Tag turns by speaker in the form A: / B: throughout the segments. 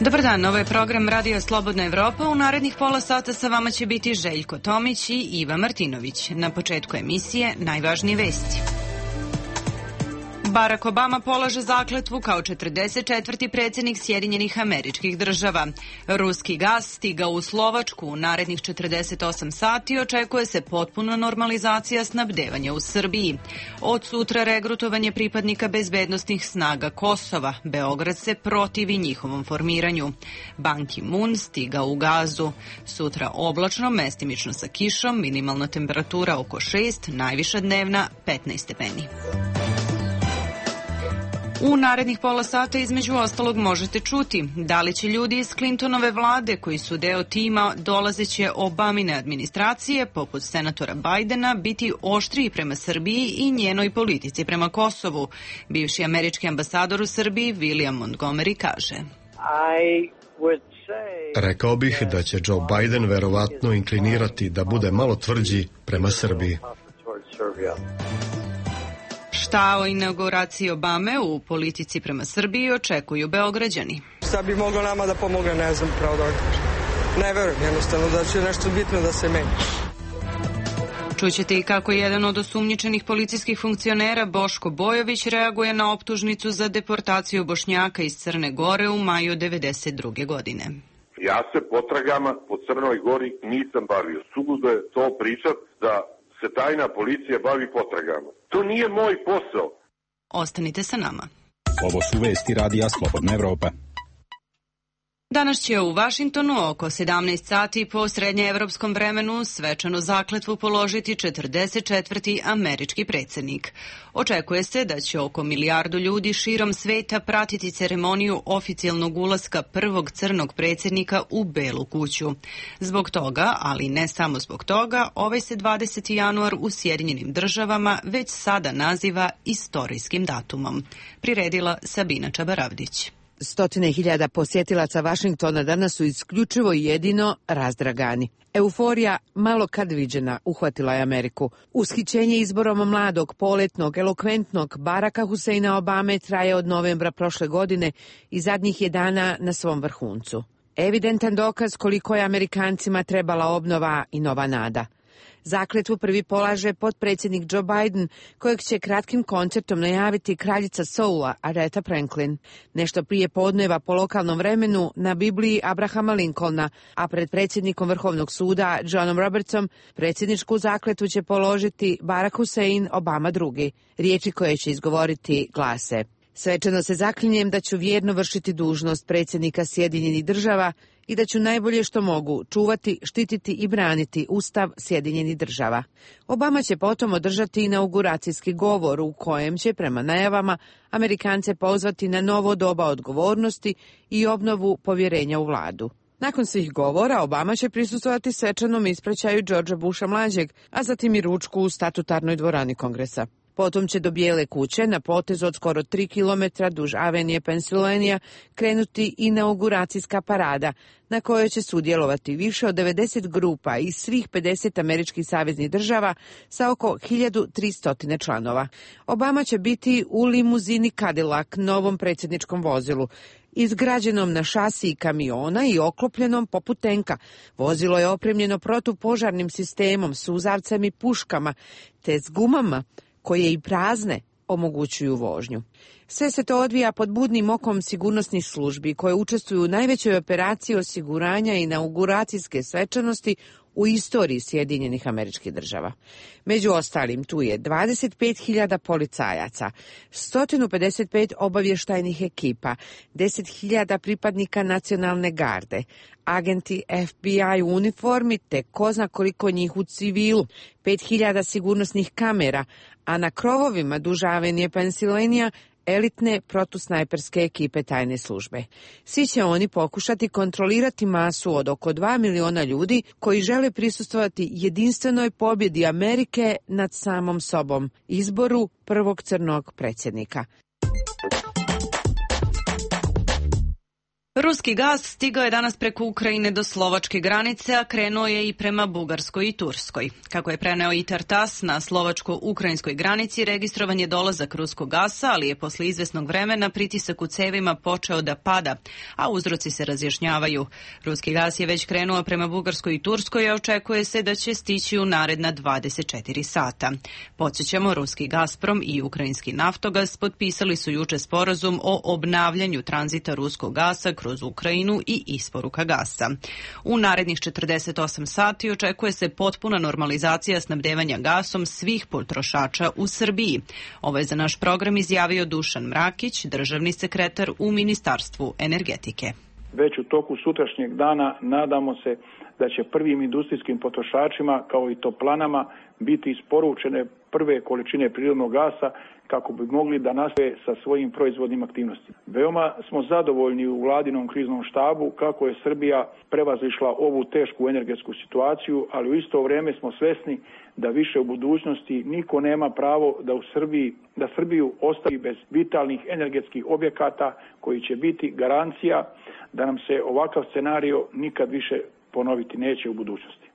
A: Dobar dan, ovo je program Radio Slobodna Evropa. U narednih pola sata sa vama će biti Željko Tomić i Iva Martinović. Na početku emisije najvažnije vesti. Barack Obama polaže zakletvu kao 44. predsjednik Sjedinjenih Američkih Država. Ruski gas stigao u Slovačku. U narednih 48 sati očekuje se potpuna normalizacija snabdevanja u Srbiji. Od sutra regrutovanje pripadnika bezbednosnih snaga Kosova. Beograd se protivi njihovom formiranju. Ban Ki-moon stigao u Gazu. Sutra oblačno, mestimično sa kišom, minimalna temperatura oko 6, najviša dnevna 15 stepeni. U narednih pola sata između ostalog možete čuti da li će ljudi iz Clintonove vlade koji su deo tima dolazeće Obamine administracije, poput senatora Bidena, biti oštriji prema Srbiji i njenoj politici prema Kosovu. Bivši američki ambasador u Srbiji William Montgomery kaže:
B: Rekao bih da će Joe Biden verovatno inklinirati da bude malo tvrđi prema Srbiji.
C: Šta o inauguraciji Obame u politici prema Srbiji očekuju Beograđani?
D: Šta bi moglo nama da pomogne, ne znam, pravo da ne verujem jednostavno da će nešto bitno da se meni.
C: Čućete i kako jedan od osumnjičenih policijskih funkcionera, Boško Bojović, reaguje na optužnicu za deportaciju Bošnjaka iz Crne Gore u maju 1992. godine.
E: Ja se potragama po Crnoj Gori nisam bavio. Suludo je to pričat da se tajna policija bavi potragama. To nije moj posao.
C: Ostanite sa nama.
F: Ovo su vesti Radija Slobodna Evropa.
C: Danas će u Vašingtonu oko 17 sati po srednjeevropskom vremenu svečanu zakletvu položiti 44. američki predsjednik. Očekuje se da će oko 1 milijardu ljudi širom sveta pratiti ceremoniju oficijalnog ulaska prvog crnog predsjednika u Belu kuću. Zbog toga, ali ne samo zbog toga, ovaj se 20. januar u Sjedinjenim Državama već sada naziva istorijskim datumom. Priredila Sabina Čabaravdić.
G: Stotine hiljada posjetilaca Vašingtona danas su isključivo i jedino razdragani. Euforija, malo kad viđena, uhvatila je Ameriku. Ushićenje izborom mladog, poletnog, elokventnog Baracka Huseina Obame traje od novembra prošle godine i zadnjih je dana na svom vrhuncu. Evidentan dokaz koliko je Amerikancima trebala obnova i nova nada. Zakletvu prvi polaže potpredsjednik Joe Biden, kojeg će kratkim koncertom najaviti kraljica soula Aretha Franklin. Nešto prije podneva po lokalnom vremenu na Bibliji Abrahama Lincolna, a pred predsjednikom Vrhovnog suda Johnom Robertsom predsjedničku zakletvu će položiti Barack Hussein Obama II. Riječi koje će izgovoriti glase: svečano se zaklinjem da ću vjerno vršiti dužnost predsjednika Sjedinjenih Država i da ću najbolje što mogu čuvati, štititi i braniti Ustav Sjedinjenih Država. Obama će potom održati inauguracijski govor u kojem će, prema najavama, Amerikance pozvati na novo doba odgovornosti i obnovu povjerenja u vladu. Nakon svih govora, Obama će prisustvovati svečanom ispraćaju Georgea Busha mlađeg, a zatim i ručku u statutarnoj dvorani Kongresa. Potom će do Bijele kuće, na potezu od skoro 3 kilometra duž Avenije Pennsylvania, krenuti inauguracijska parada, na kojoj će sudjelovati više od 90 grupa iz svih 50 američkih saveznih država sa oko 1300 članova. Obama će biti u limuzini Cadillac, novom predsjedničkom vozilu, izgrađenom na šasiji kamiona i oklopljenom poput tenka. Vozilo je opremljeno protupožarnim sistemom, suzavcem i puškama, te s gumama koje i prazne omogućuju vožnju. Sve se to odvija pod budnim okom sigurnosnih službi koje učestvuju u najvećoj operaciji osiguranja i inauguracijske svečanosti u istoriji Sjedinjenih Američkih Država. Među ostalim tu je 25.000 policajaca, 155 obavještajnih ekipa, 10.000 pripadnika nacionalne garde, agenti FBI u uniformi te ko zna koliko njih u civilu, 5.000 sigurnosnih kamera, a na krovovima duž Avenije Pennsylvania elitne protusnajperske ekipe tajne službe. Svi će oni pokušati kontrolirati masu od oko 2 miliona ljudi koji žele prisustvovati jedinstvenoj pobjedi Amerike nad samom sobom, izboru prvog crnog predsjednika.
A: Ruski gas stigao je danas preko Ukrajine do slovačke granice, a krenuo je i prema Bugarskoj i Turskoj. Kako je preneo ITAR TASS, na slovačko-ukrajinskoj granici registrovan je dolazak ruskog gasa, ali je posle izvesnog vremena pritisak u cevima počeo da pada, a uzroci se razjašnjavaju. Ruski gas je već krenuo prema Bugarskoj i Turskoj, a očekuje se da će stići u naredna 24 sata. Podsjećamo, ruski Gazprom i ukrajinski Naftogaz potpisali su juče sporazum o obnavljanju tranzita ruskog gasa kroz Ukrajinu i isporuka gasa. U narednih 48 sati očekuje se potpuna normalizacija snabdevanja gasom svih potrošača u Srbiji. Ovo je za naš program izjavio Dušan Mrakić, državni sekretar u Ministarstvu energetike.
H: Već u toku sutrašnjeg dana nadamo se da će prvim industrijskim potrošačima, kao i toplanama, biti isporučene prve količine prirodnog gasa kako bi mogli da nastave sa svojim proizvodnim aktivnostima. Veoma smo zadovoljni u vladinom kriznom štabu kako je Srbija prevazišla ovu tešku energetsku situaciju, ali u isto vrijeme smo svesni da više u budućnosti niko nema pravo da Srbiju ostavi bez vitalnih energetskih objekata koji će biti garancija da nam se ovakav scenario nikad više ponoviti neće u budućnosti.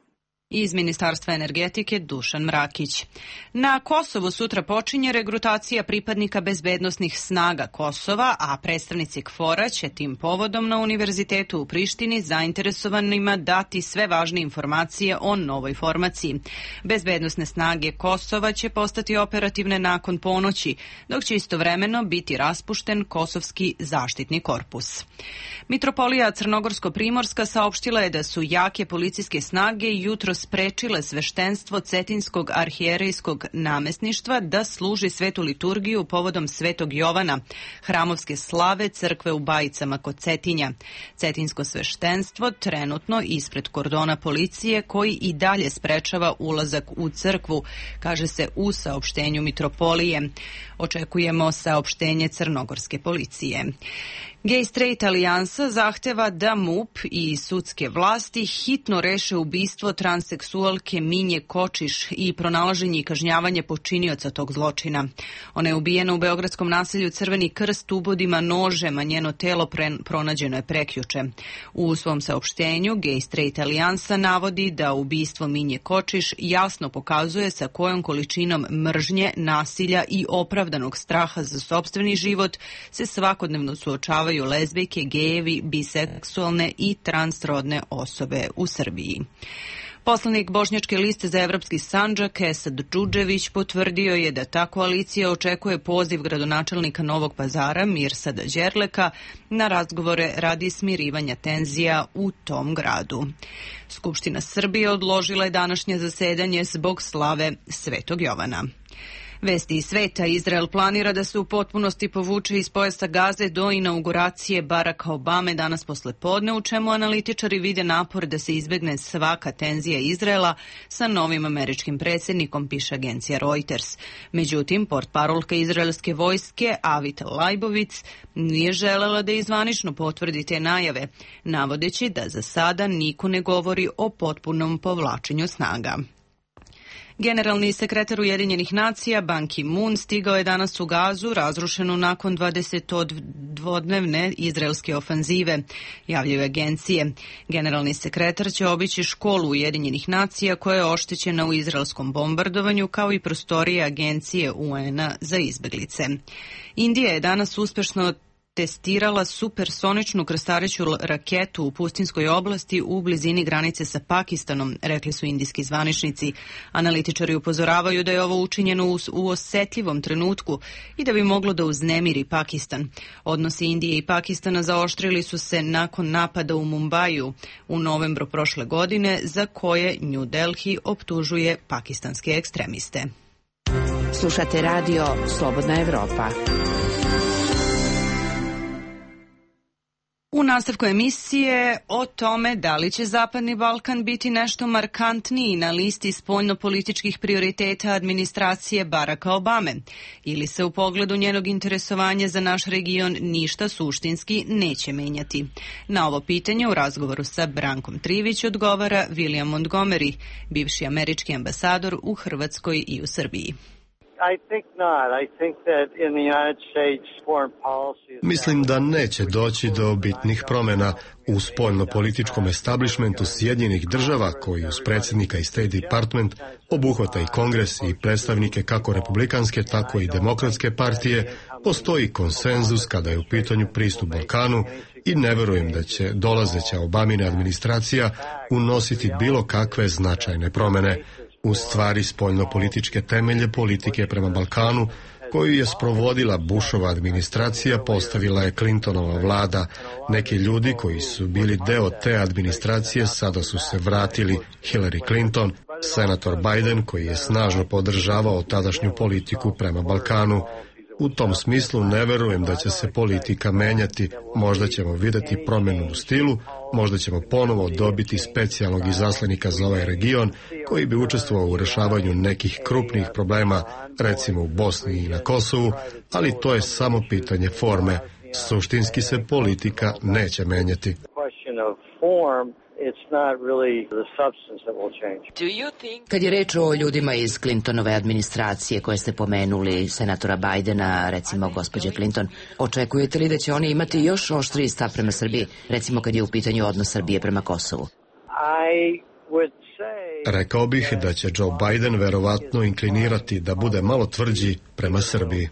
A: Iz Ministarstva energetike Dušan Mrakić. Na Kosovu sutra počinje regrutacija pripadnika bezbednosnih snaga Kosova, a predstavnici KFOR-a će tim povodom na Univerzitetu u Prištini zainteresovanima dati sve važne informacije o novoj formaciji. Bezbednosne snage Kosova će postati operativne nakon ponoći, dok će istovremeno biti raspušten Kosovski zaštitni korpus. Mitropolija Crnogorsko-Primorska saopštila je da su jake policijske snage jutro sprečile sveštenstvo Cetinskog arhijerejskog namesništva da služi svetu liturgiju povodom Svetog Jovana, hramovske slave crkve u Bajicama kod Cetinja. Cetinsko sveštenstvo trenutno ispred kordona policije koji i dalje sprečava ulazak u crkvu, kaže se u saopštenju Mitropolije. Očekujemo saopštenje crnogorske policije. Gay Straight alijansa zahteva da MUP i sudske vlasti hitno reše ubistvo transseksualke Minje Kočiš i pronalaženje i kažnjavanje počinioca tog zločina. Ona je ubijena u beogradskom naselju Crveni krst ubodima nožem, a njeno telo pronađeno je prekjuče. U svom saopštenju Gay Straight alijansa navodi da ubistvo Minje Kočiš jasno pokazuje sa kojom količinom mržnje, nasilja i opravdanog straha za sopstveni život se svakodnevno suočavaju lezbijke, gejevi, biseksualne i transrodne osobe u Srbiji. Poslanik Bošnjačke liste za evropski Sandžak Esad Džudžević potvrdio je da ta koalicija očekuje poziv gradonačelnika Novog Pazara Mirsada Đerleka na razgovore radi smirivanja tenzija u tom gradu. Skupština Srbije odložila je današnje zasedanje zbog slave Svetog Jovana. Vesti iz sveta. Izrael planira da se u potpunosti povuče iz pojasa Gaze do inauguracije Baracka Obame danas posle podne, u čemu analitičari vide napor da se izbegne svaka tenzija Izraela sa novim američkim predsjednikom, piše agencija Reuters. Međutim, portparolka izraelske vojske Avit Lajbovic nije želela da izvanično potvrdi te najave, navodeći da za sada niko ne govori o potpunom povlačenju snaga. Generalni sekretar Ujedinjenih nacija Ban Ki-moon stigao je danas u Gazu, razrušenu nakon 22-dnevne izraelske ofanzive, javljaju agencije. Generalni sekretar će obići školu Ujedinjenih nacija koja je oštećena u izraelskom bombardovanju, kao i prostorije agencije UN-a za izbeglice. Indija je danas uspešno testirala supersoničnu krstareću raketu u pustinskoj oblasti u blizini granice sa Pakistanom, rekli su indijski zvaničnici. Analitičari upozoravaju da je ovo učinjeno u osetljivom trenutku i da bi moglo da uznemiri Pakistan. Odnosi Indije i Pakistana zaoštrili su se nakon napada u Mumbaju u novembru prošle godine, za koje New Delhi optužuje pakistanske ekstremiste.
G: Slušate radio Slobodna Evropa.
A: U nastavku emisije o tome da li će Zapadni Balkan biti nešto markantniji na listi spoljnopolitičkih prioriteta administracije Baracka Obame ili se u pogledu njenog interesovanja za naš region ništa suštinski neće menjati. Na ovo pitanje u razgovoru sa Brankom Trivić odgovara William Montgomery, bivši američki ambasador u Hrvatskoj i u Srbiji.
B: Mislim da neće doći do bitnih promjena u spoljno-političkom establishmentu Sjedinjenih država, koji uz predsjednika i State Department obuhvata i Kongres i predstavnike kako republikanske, tako i demokratske partije. Postoji konsenzus kada je u pitanju pristup Balkanu i ne verujem da će dolazeća Obamina administracija unositi bilo kakve značajne promjene. U stvari spoljno-političke temelje politike prema Balkanu koju je sprovodila Bushova administracija postavila je Clintonova vlada. Neki ljudi koji su bili deo te administracije sada su se vratili. Hillary Clinton, senator Biden koji je snažno podržavao tadašnju politiku prema Balkanu. U tom smislu ne verujem da će se politika menjati. Možda ćemo vidjeti promjenu u stilu, možda ćemo ponovo dobiti specijalnog izaslanika za ovaj region koji bi učestvovao u rješavanju nekih krupnih problema, recimo u Bosni i na Kosovu, ali to je samo pitanje forme. Suštinski se politika neće menjati.
I: Kad je reč o ljudima iz Clintonove administracije koje ste pomenuli, senatora Bidena, recimo gospođe Clinton, očekujete li da će oni imati još oštriji stav prema Srbiji, recimo kad je u pitanju odnos Srbije prema Kosovu?
B: Rekao bih da će Joe Biden verovatno inklinirati da bude malo tvrđi prema Srbiji.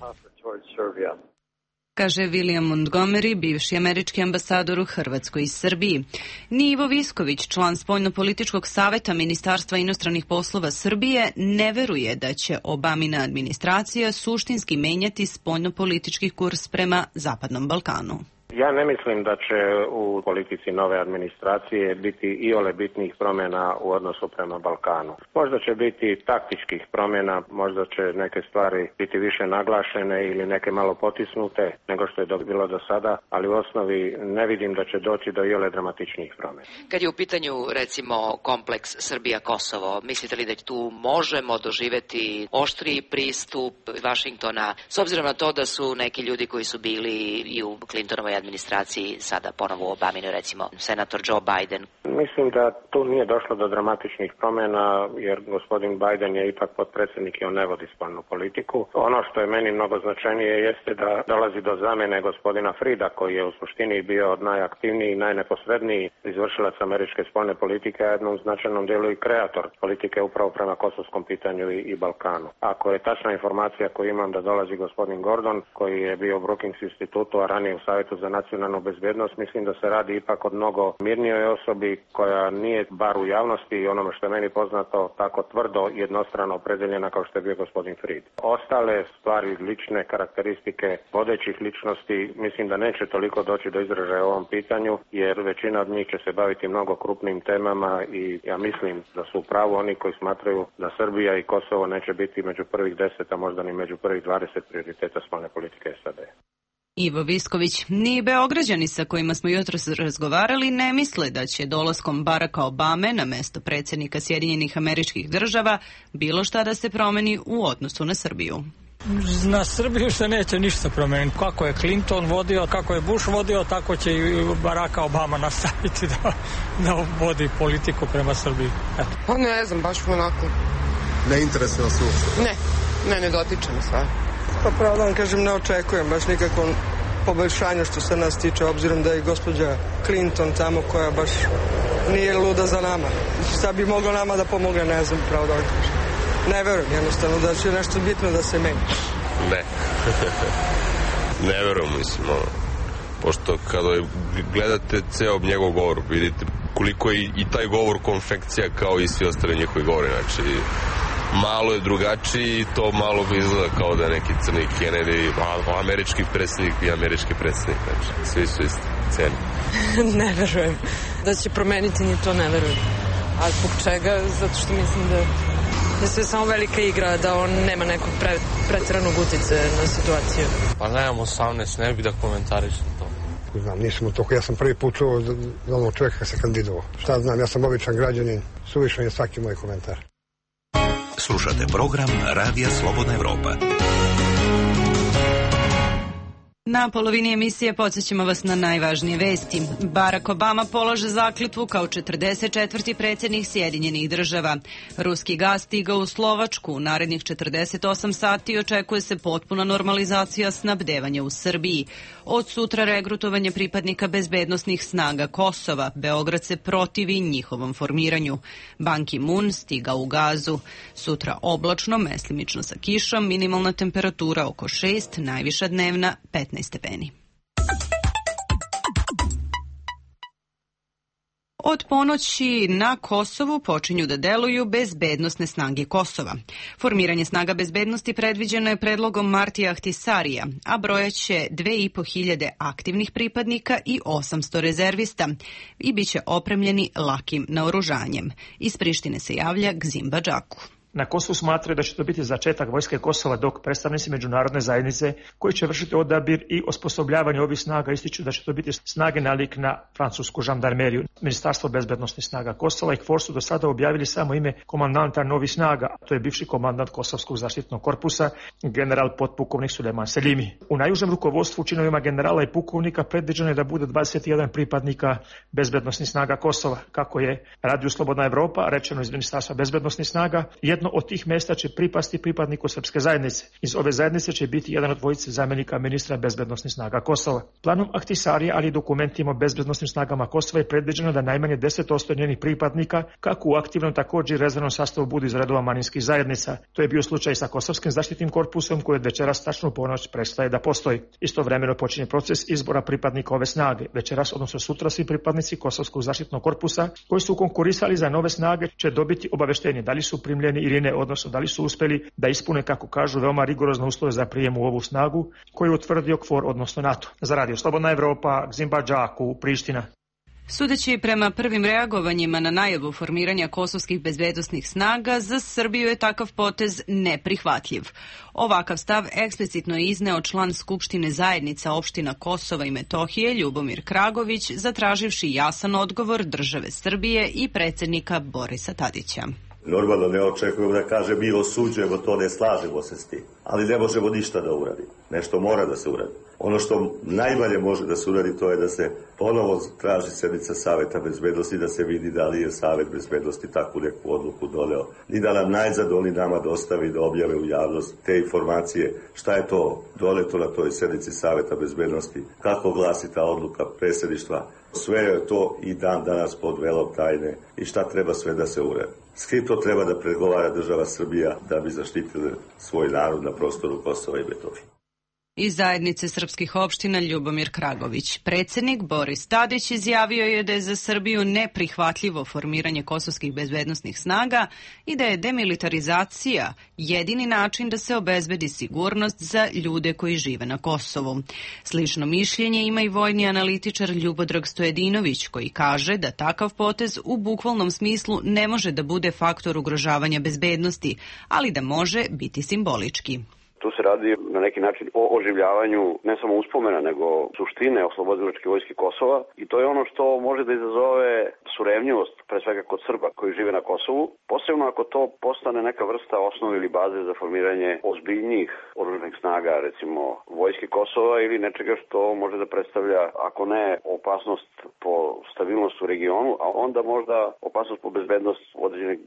A: Kaže William Montgomery, bivši američki ambasador u Hrvatskoj i Srbiji. Ni Ivo Visković, član spoljno-političkog saveta Ministarstva inostranih poslova Srbije, ne veruje da će Obamina administracija suštinski menjati spoljno-politički kurs prema Zapadnom Balkanu.
J: Ja ne mislim da će u politici nove administracije biti iole bitnih promjena u odnosu prema Balkanu. Možda će biti taktičkih promjena, možda će neke stvari biti više naglašene ili neke malo potisnute nego što je bilo do sada, ali u osnovi ne vidim da će doći do iole dramatičnih promjena.
I: Kad je u pitanju, recimo, kompleks Srbija-Kosovo, mislite li da tu možemo doživjeti oštriji pristup Vašingtona, s obzirom na to da su neki ljudi koji su bili i u Clintonovoj administraciji sada ponovo u Obaminu, recimo senator Joe Biden?
J: Mislim da tu nije došlo do dramatičnih promjena, jer gospodin Biden je ipak potpredsjednik i on ne vodi spoljnu politiku. Ono što je meni mnogo značajnije jeste da dolazi do zamjene gospodina Frida, koji je u suštini bio najaktivniji i najneposredniji izvršilac američke spoljne politike, a jednom značajnom dijelu i kreator politike upravo prema kosovskom pitanju i Balkanu. Ako je tačna informacija koju imam da dolazi gospodin Gordon, koji je bio u Brookings institutu, a ranije u Savjetu za nacionalnu bezbjednost, mislim da se radi ipak od mnogo mirnijoj osobi koja nije bar u javnosti i onome što je meni poznato tako tvrdo jednostrano opredeljena kao što je bio gospodin Fried. Ostale stvari, lične karakteristike vodećih ličnosti, mislim da neće toliko doći do izražaja u ovom pitanju, jer većina od njih će se baviti mnogo krupnim temama i ja mislim da su u pravu oni koji smatraju da Srbija i Kosovo neće biti među prvih 10, a možda ni među prvih 20 prioriteta spoljne politike SAD.
A: Ivo Visković, ni Beograđani sa kojima smo jutros razgovarali ne misle da će dolaskom Baracka Obame na mesto predsjednika Sjedinjenih Američkih Država bilo šta da se promeni u odnosu na Srbiju.
K: Na Srbiju se neće ništa promeniti. Kako je Clinton vodio, kako je Bush vodio, tako će i Baracka Obama nastaviti da vodi politiku prema Srbiji. Eto.
L: Pa ne znam, baš onako.
B: Ne interesuje vas uopšte?
L: Ne dotiče me stvar.
D: Pa pravo da vam kažem, ne očekujem baš nikakvom poboljšanju što se nas tiče, obzirom da je gospođa Clinton tamo koja baš nije luda za nama. Šta bi moglo nama da pomogne, ne znam, pravo da vam kažem. Ne verujem jednostavno da će nešto bitno da se meni.
M: Ne. Ne verujem, mislim, pošto kada gledate ceo njegov govor, vidite koliko je i taj govor konfekcija kao i svi ostali njihovi govori, znači malo je drugačiji i to malo izgleda kao da je neki crni Kennedy, američki predsjednik i američki predsjednik, znači svi su isti, cijeni.
L: Ne verujem da će promeniti, ni to ne verujem. A zbog čega? Zato što mislim da je sve samo velika igra, da on nema nekog pretjeranog uticaja na situaciju.
N: Pa nemam 18, ne bih da komentarišem to.
O: Znam, nisam u toku, ja sam prvi put čuo za onog čovjeka se kandidovao. Šta znam, ja sam običan građanin, suvišan je svaki moj komentar.
P: Slušate program Radija Slobodna Evropa.
A: Na polovini emisije podsjećamo vas na najvažnije vesti. Barack Obama polaže zakletvu kao 44. predsjednik Sjedinjenih država. Ruski gas stigao u Slovačku. U narednih 48 sati očekuje se potpuna normalizacija snabdevanja u Srbiji. Od sutra regrutovanje pripadnika bezbednosnih snaga Kosova. Beograd se protivi njihovom formiranju. Ban Ki-moon stigao u Gazu. Sutra oblačno, meslimično sa kišom, minimalna temperatura oko 6, najviša dnevna 15 stepeni. Od ponoći na Kosovu počinju da deluju bezbednosne snage Kosova. Formiranje snaga bezbednosti predviđeno je predlogom Martija Ahtisarija, a brojaće 2.500 aktivnih pripadnika i 800 rezervista i bit će opremljeni lakim naoružanjem. Iz Prištine se javlja Gzim Badžaku.
P: Na Kosovu smatraju da će to biti začetak vojske Kosova, dok predstavnici međunarodne zajednice koji će vršiti odabir i osposobljavanje ovih snaga ističu da će to biti snage nalik na francusku žandarmeriju. Ministarstvo bezbednosnih snaga Kosova i KFOR su do sada objavili samo ime komandanta novih snaga, to je bivši komandant Kosovskog zaštitnog korpusa, general potpukovnik Sulejman Selimi. U najužem rukovodstvu činovima generala i pukovnika predviđeno je da bude 21 pripadnika bezbednosnih snaga Kosova. Kako je Radio Slobodna Evropa rečeno iz Ministarstva bezbednosnih snaga, jedno od tih mesta će pripasti pripadniku srpske zajednice. Iz ove zajednice će biti jedan od dvojice zamjenika ministra bezbednosnih snaga Kosova. Planom Ahtisarija, ali i dokumentima o bezbednosnim snagama Kosova je predviđeno da najmanje 10% njenih pripadnika, kako u aktivnom također i rezervnom sastavu, budu iz redova manjinskih zajednica. To je bio slučaj sa Kosovskim zaštitnim korpusom koji od večeras tačno u ponoć prestaje da postoji. Istovremeno počinje proces izbora pripadnika ove snage. Večeras, odnosno sutra, svi pripadnici Kosovskog zaštitnog korpusa koji su konkurisali za nove snage će dobiti obaveštenje da li su primljeni ili ne, odnosno da li su uspeli da ispune, kako kažu, veoma rigorozne uslove za prijem u ovu snagu koju je utvrdio KFOR, odnosno NATO. Za Radio Slobodna Evropa, Gzim Badžaku, Priština.
A: Sudeći prema prvim reagovanjima na najavu formiranja kosovskih bezbednosnih snaga, za Srbiju je takav potez neprihvatljiv. Ovakav stav eksplicitno je izneo član Skupštine zajednica opština Kosova i Metohije Ljubomir Kragović, zatraživši jasan odgovor države Srbije i predsjednika Borisa Tadića.
Q: Normalno ne očekujem da kaže mi osuđujemo to, ne slažemo se s tim, ali ne možemo ništa da uradimo. Nešto mora da se uradi. Ono što najmanje može da se uradi, to je da se ponovo traži sednica Saveta bezbednosti, da se vidi da li je Savet bezbednosti takvu neku odluku doneo. I da nam najzad oni nama dostavi da objave u javnost te informacije, šta je to doneto na toj sednici Saveta bezbednosti, kako glasi ta odluka predsjedništva. Sve je to i dan danas pod velom tajne i šta treba sve da se uradi. S kim to treba da pregovara država Srbija da bi zaštitili svoj narod na prostoru Kosova i Metohije.
A: Iz zajednice srpskih opština Ljubomir Kragović. Predsjednik Boris Tadić izjavio je da je za Srbiju neprihvatljivo formiranje kosovskih bezbednosnih snaga i da je demilitarizacija jedini način da se obezbedi sigurnost za ljude koji žive na Kosovu. Slično mišljenje ima i vojni analitičar Ljubodrag Stojedinović, koji kaže da takav potez u bukvalnom smislu ne može da bude faktor ugrožavanja bezbednosti, ali da može biti simbolički.
R: Tu se radi na neki način o oživljavanju ne samo uspomena, nego suštine oslobodilačke vojske Kosova i to je ono što može da izazove surevnjivost, pre svega kod Srba koji žive na Kosovu, posebno ako to postane neka vrsta osnove ili baze za formiranje ozbiljnijih oružanih snaga, recimo vojske Kosova ili nečega što može da predstavlja, ako ne opasnost po stabilnost u regionu, a onda možda opasnost po bezbednost određenog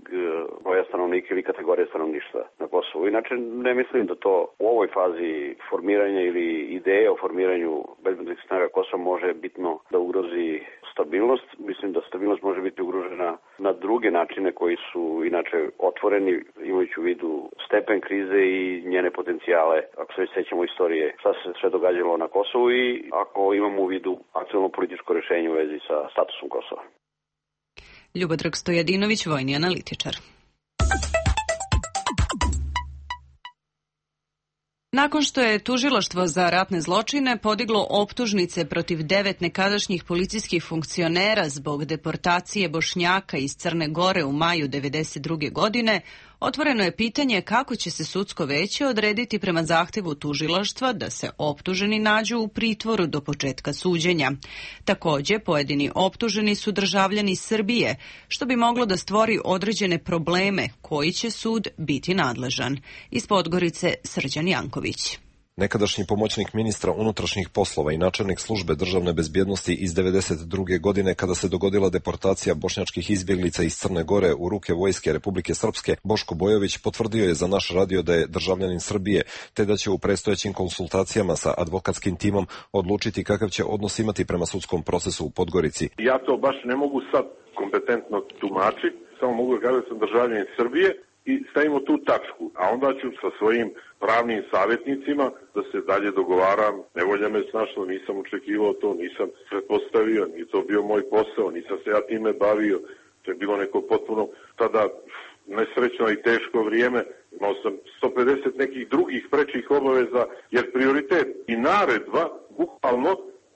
R: broja stanovnika ili kategorije stanovništva na Kosovu. Inače, ne mislim da to u ovoj fazi formiranja ili ideje o formiranju bezbednosnih snaga Kosova može bitno da ugrozi stabilnost. Mislim da stabilnost može biti ugrožena na druge načine koji su inače otvoreni, imajući u vidu stepen krize i njene potencijale, ako se sećamo istorije šta se sve događalo na Kosovu i ako imamo u vidu aktualno političko rješenje u vezi sa statusom Kosova.
A: Ljubodrag Stojadinović, vojni analitičar. Nakon što je Tužilaštvo za ratne zločine podiglo optužnice protiv 9 nekadašnjih policijskih funkcionera zbog deportacije Bošnjaka iz Crne Gore u maju 1992. godine, otvoreno je pitanje kako će se sudsko veće odrediti prema zahtevu tužilaštva da se optuženi nađu u pritvoru do početka suđenja. Također, pojedini optuženi su državljani Srbije, što bi moglo da stvori određene probleme koji će sud biti nadležan. Iz Podgorice, Srđan Janković.
S: Nekadašnji pomoćnik ministra unutrašnjih poslova i načelnik službe državne bezbjednosti iz 1992. godine, kada se dogodila deportacija bošnjačkih izbjeglica iz Crne Gore u ruke vojske Republike Srpske, Boško Bojović potvrdio je za naš radio da je državljanin Srbije, te da će u predstojećim konsultacijama sa advokatskim timom odlučiti kakav će odnos imati prema sudskom procesu u Podgorici.
E: Ja to baš ne mogu sad kompetentno tumačiti, samo mogu da kažem da sam državljanin Srbije i stavimo tu tačku, a onda ću sa svojim pravnim savjetnicima da se dalje dogovaram. Nevolja me snašla, nisam očekivao to, nisam pretpostavio, nije to bio moj posao, nisam se ja time bavio. To je bilo neko potpuno tada nesrećno i teško vrijeme. Imao sam 150 nekih drugih prečih obaveza, jer prioritet i naredba, bukvalno,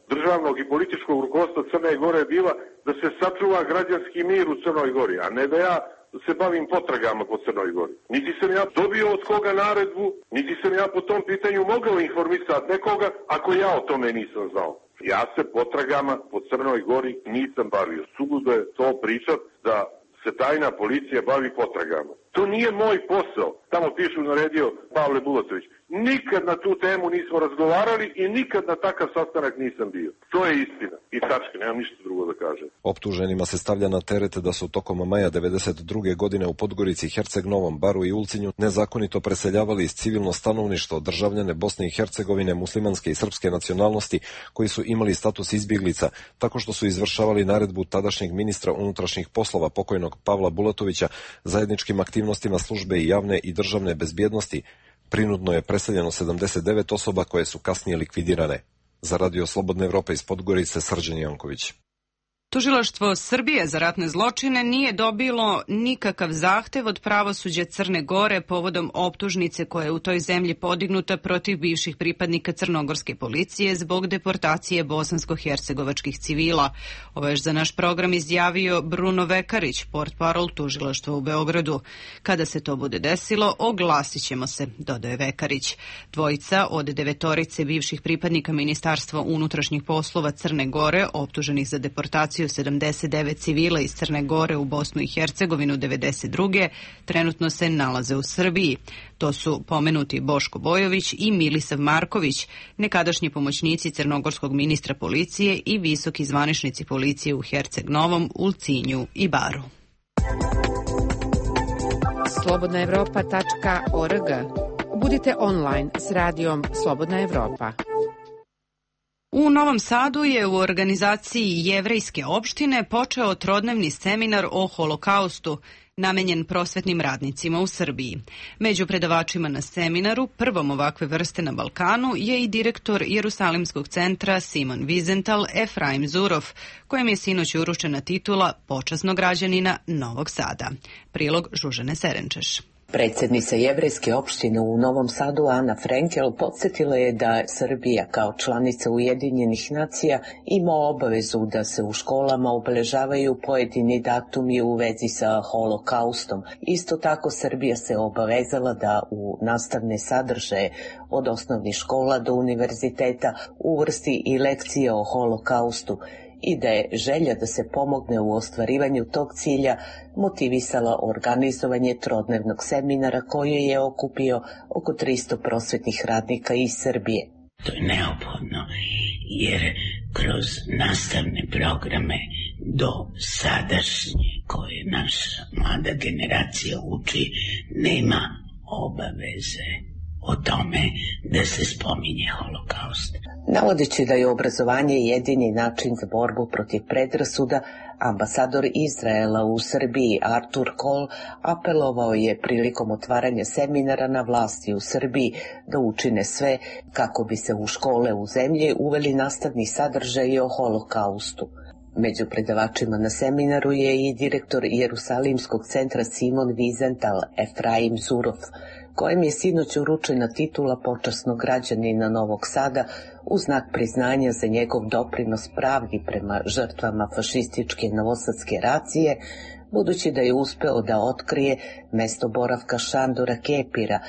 E: državnog i političkog rukovodstva Crne Gore je bila da se sačuva građanski mir u Crnoj Gori, a ne da ja se bavim potragama po Crnoj Gori. Niti sam ja dobio od koga naredbu, niti sam ja po tom pitanju mogao informisati nekoga ako ja o tome nisam znao. Ja se potragama po Crnoj Gori nisam bavio. Suludo je to pričat da se tajna policija bavi potragama. To nije moj posao. Tamo pišu naredio Pavle Bulatović. Nikad na tu temu nismo razgovarali i nikad na takav sastanak nisam bio. To je istina. I tačka, nemam ništa drugo da kažem.
S: Optuženima se stavlja na teret da su tokom maja 1992. godine u Podgorici, Herceg Novom, Baru i Ulcinju nezakonito preseljavali iz civilno stanovništvo državljane Bosne i Hercegovine, muslimanske i srpske nacionalnosti koji su imali status izbjeglica, tako što su izvršavali naredbu tadašnjeg ministra unutrašnjih poslova pokojnog Pavla Bulatovića zajedničkim aktivnostima službe i javne i državne bezbjednosti. Prinudno je preseljeno 79 osoba koje su kasnije likvidirane. Za Radio Slobodne Evrope iz Podgorice, Srđan Janković.
A: Tužilaštvo Srbije za ratne zločine nije dobilo nikakav zahtev od pravosuđa Crne Gore povodom optužnice koja je u toj zemlji podignuta protiv bivših pripadnika crnogorske policije zbog deportacije bosansko-hercegovačkih civila. Ovo je za naš program izjavio Bruno Vekarić, portparol tužilaštva u Beogradu. Kada se to bude desilo, oglasit ćemo se, dodaje Vekarić. Dvojica od 9 bivših pripadnika Ministarstva unutrašnjih poslova Crne Gore, optuženih za deportaciju 79 civila iz Crne Gore u Bosnu i Hercegovinu 1992. trenutno se nalaze u Srbiji. To su pomenuti Boško Bojović i Milisav Marković, nekadašnji pomoćnici crnogorskog ministra policije i visoki zvaničnici policije u Herceg Novom, Ulcinju i Baru.
G: slobodnaevropa.org. Budite online s radijom Slobodna Evropa.
A: U Novom Sadu je u organizaciji Jevrejske opštine počeo trodnevni seminar o holokaustu, namenjen prosvetnim radnicima u Srbiji. Među predavačima na seminaru, prvom ovakve vrste na Balkanu, je i direktor Jerusalimskog centra Simon Wiesenthal Efraim Zurov, kojem je sinoć uručena titula počasnog građanina Novog Sada. Prilog Žužane Serenčeš.
T: Predsjednica Jevrejske opštine u Novom Sadu Ana Frenkel podsjetila je da Srbija kao članica Ujedinjenih nacija ima obavezu da se u školama obeležavaju pojedini datumi u vezi sa holokaustom. Isto tako Srbija se obavezala da u nastavne sadržaje od osnovnih škola do univerziteta uvrsti i lekcije o holokaustu i da je želja da se pomogne u ostvarivanju tog cilja motivisala organizovanje trodnevnog seminara koji je okupio oko 300 prosvetnih radnika iz Srbije.
U: To je neophodno jer kroz nastavne programe do sadašnje koje naša mlada generacija uči nema obaveze o tome da se spominje holokaust.
T: Navodeći da je obrazovanje jedini način za borbu protiv predrasuda, ambasador Izraela u Srbiji Artur Kol apelovao je prilikom otvaranja seminara na vlasti u Srbiji da učine sve kako bi se u škole u zemlji uveli nastavni sadržaji o holokaustu. Među predavačima na seminaru je i direktor Jerusalimskog centra Simon Wiesenthal Efraim Zurov, kojem je sinoć uručena titula počasnog građanina Novog Sada u znak priznanja za njegov doprinos pravdi prema žrtvama fašističke novosadske racije, budući da je uspeo da otkrije mesto boravka Šandora Kepira,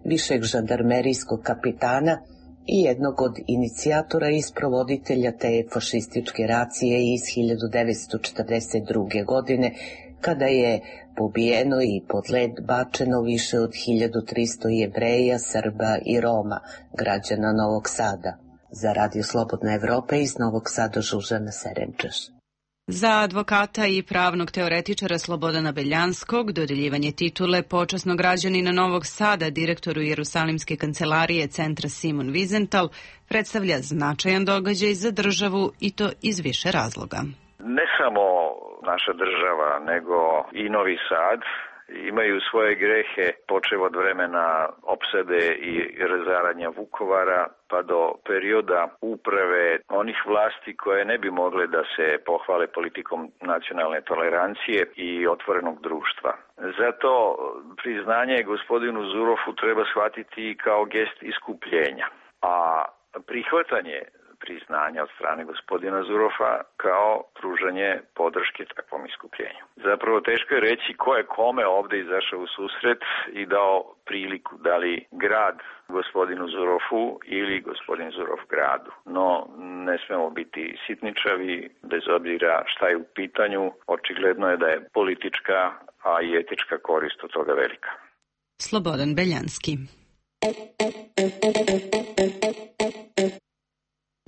T: višeg žandarmerijskog kapitana i jednog od inicijatora i sprovoditelja te fašističke racije iz 1942. godine, kada je pobijeno i pod led bačeno više od 1300 Jevreja, Srba i Roma, građana Novog Sada. Za Radio Slobodna Evropa iz Novog Sada Žužana Serenčeš.
A: Za advokata i pravnog teoretičara Slobodana Beljanskog dodeljivanje titule počasnog građanina Novog Sada direktoru Jerusalimske kancelarije Centra Simon Wiesenthal predstavlja značajan događaj za državu i to iz više razloga.
F: Ne samo naša država, nego i Novi Sad imaju svoje grehe, počev od vremena opsade i razaranja Vukovara, pa do perioda uprave onih vlasti koje ne bi mogle da se pohvale politikom nacionalne tolerancije i otvorenog društva. Zato priznanje gospodinu Zurofu treba shvatiti kao gest iskupljenja, a prihvatanje priznanja od strane gospodina Zurofa kao pružanje podrške takvom iskupljenju. Zapravo teško je reći ko je kome ovde izašao u susret i dao priliku, da li grad gospodinu Zurofu ili gospodin Zurov gradu. No, ne smemo biti sitničavi, bez obzira šta je u pitanju, očigledno je da je politička, a i etička korist od toga velika.
A: Slobodan Beljanski.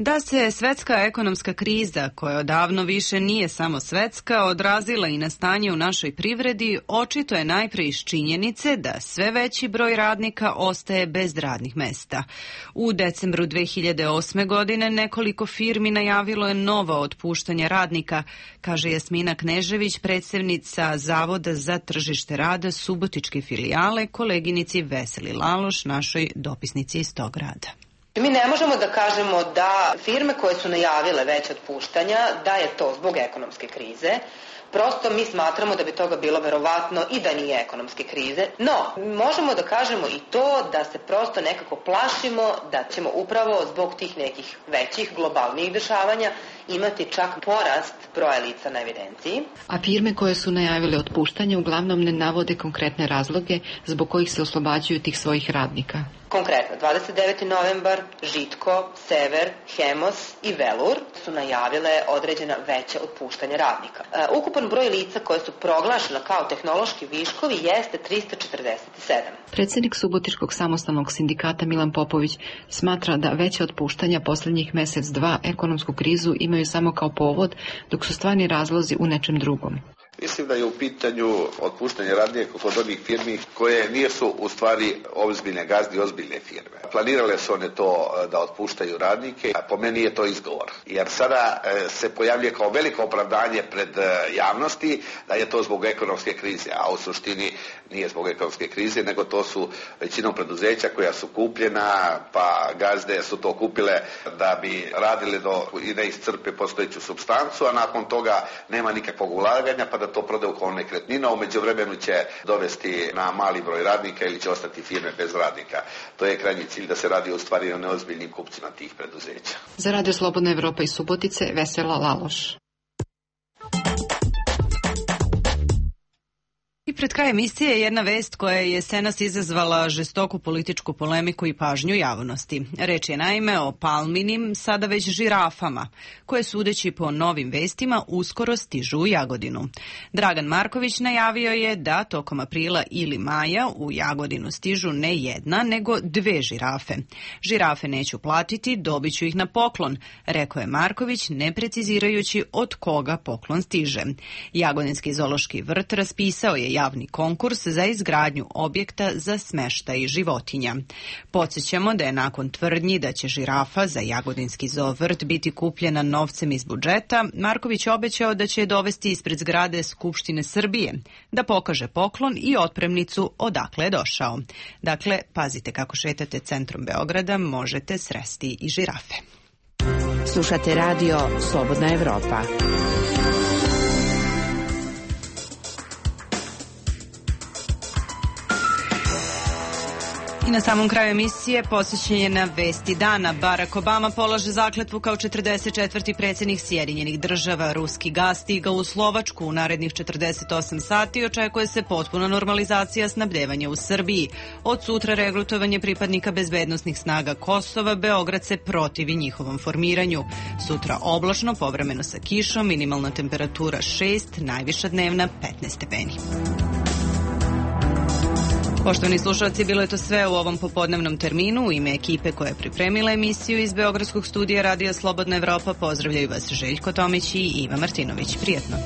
A: Da se svetska ekonomska kriza, koja odavno više nije samo svetska, odrazila i na stanje u našoj privredi, očito je najpre iz činjenice da sve veći broj radnika ostaje bez radnih mesta. U decembru 2008. godine nekoliko firmi najavilo je nova otpuštanja radnika, kaže Jasmina Knežević, predstavnica Zavoda za tržište rada Subotičke filijale, koleginici Veseli Laloš, našoj dopisnici iz tog grada.
V: Mi ne možemo da kažemo da firme koje su najavile već otpuštanja, da je to zbog ekonomske krize. Prosto mi smatramo da bi toga bilo verovatno i da nije ekonomske krize. No, možemo da kažemo i to da se prosto nekako plašimo da ćemo upravo zbog tih nekih većih globalnih dešavanja imati čak porast broja lica na evidenciji.
W: A firme koje su najavile otpuštanje uglavnom ne navode konkretne razloge zbog kojih se oslobađaju tih svojih radnika.
V: Konkretno, 29. novembar, Žitko, Sever, Hemos i Velur su najavile određena veća otpuštanja radnika. Ukupan broj lica koje su proglašena kao tehnološki viškovi jeste 347.
W: Predsjednik Subotičkog samostalnog sindikata Milan Popović smatra da veća otpuštanja posljednjih mesec-dva ekonomsku krizu imaju samo kao povod, dok su stvarni razlozi u nečem drugom.
X: Mislim da je u pitanju otpuštanje radnika kod onih firmi koje nisu u stvari ozbiljne gazde i ozbiljne firme. Planirale su one to da otpuštaju radnike, a po meni je to izgovor. Jer sada se pojavljuje kao veliko opravdanje pred javnosti da je to zbog ekonomske krize, a u suštini nije zbog ekonomske krize, nego to su većinom preduzeća koja su kupljena, pa gazde su to kupile da bi radile i ne iscrpe postojeću supstancu, a nakon toga nema nikakvog ulaganja, pa da to prodaju kao nekretnina, u međuvremenu će dovesti na mali broj radnika ili će ostati firme bez radnika. To je krajnji cilj, da se radi u stvari o neozbiljnim kupcima tih preduzeća.
W: Za Radio Slobodna Evropa iz Subotice, Vesela Laloš.
A: I pred kraj emisije jedna vest koja je jesenas izazvala žestoku političku polemiku i pažnju javnosti. Reč je naime o palminim, sada već žirafama, koje sudeći po novim vestima uskoro stižu u Jagodinu. Dragan Marković najavio je da tokom aprila ili maja u Jagodinu stižu ne jedna, nego 2 žirafe. Žirafe neću platiti, dobit ću ih na poklon, rekao je Marković, ne precizirajući od koga poklon stiže. Jagodinski zoološki vrt raspisao je javni konkurs za izgradnju objekta za smeštaj životinja. Podsjećamo da je nakon tvrdnji da će žirafa za Jagodinski zoovrt biti kupljena novcem iz budžeta, Marković obećao da će je dovesti ispred zgrade Skupštine Srbije, da pokaže poklon i otpremnicu odakle je došao. Dakle, pazite kako šetate centrom Beograda, možete sresti i žirafe.
G: Slušate radio Slobodna Evropa.
A: I na samom kraju emisije posvećen je na vesti dana. Barack Obama polaže zakletvu kao 44. predsjednik Sjedinjenih država. Ruski gas stigao u Slovačku u narednih 48 sati. Očekuje se potpuna normalizacija snabdevanja u Srbiji. Od sutra regrutovanje pripadnika bezbednosnih snaga Kosova. Beograd se protivi njihovom formiranju. Sutra oblačno, povremeno sa kišom, minimalna temperatura 6, najviša dnevna 15 stepeni. Poštovani slušalci, bilo je to sve u ovom popodnevnom terminu. U ime ekipe koja je pripremila emisiju iz Beogradskog studija Radija Slobodna Evropa pozdravljaju vas Željko Tomić i Iva Martinović. Prijetno.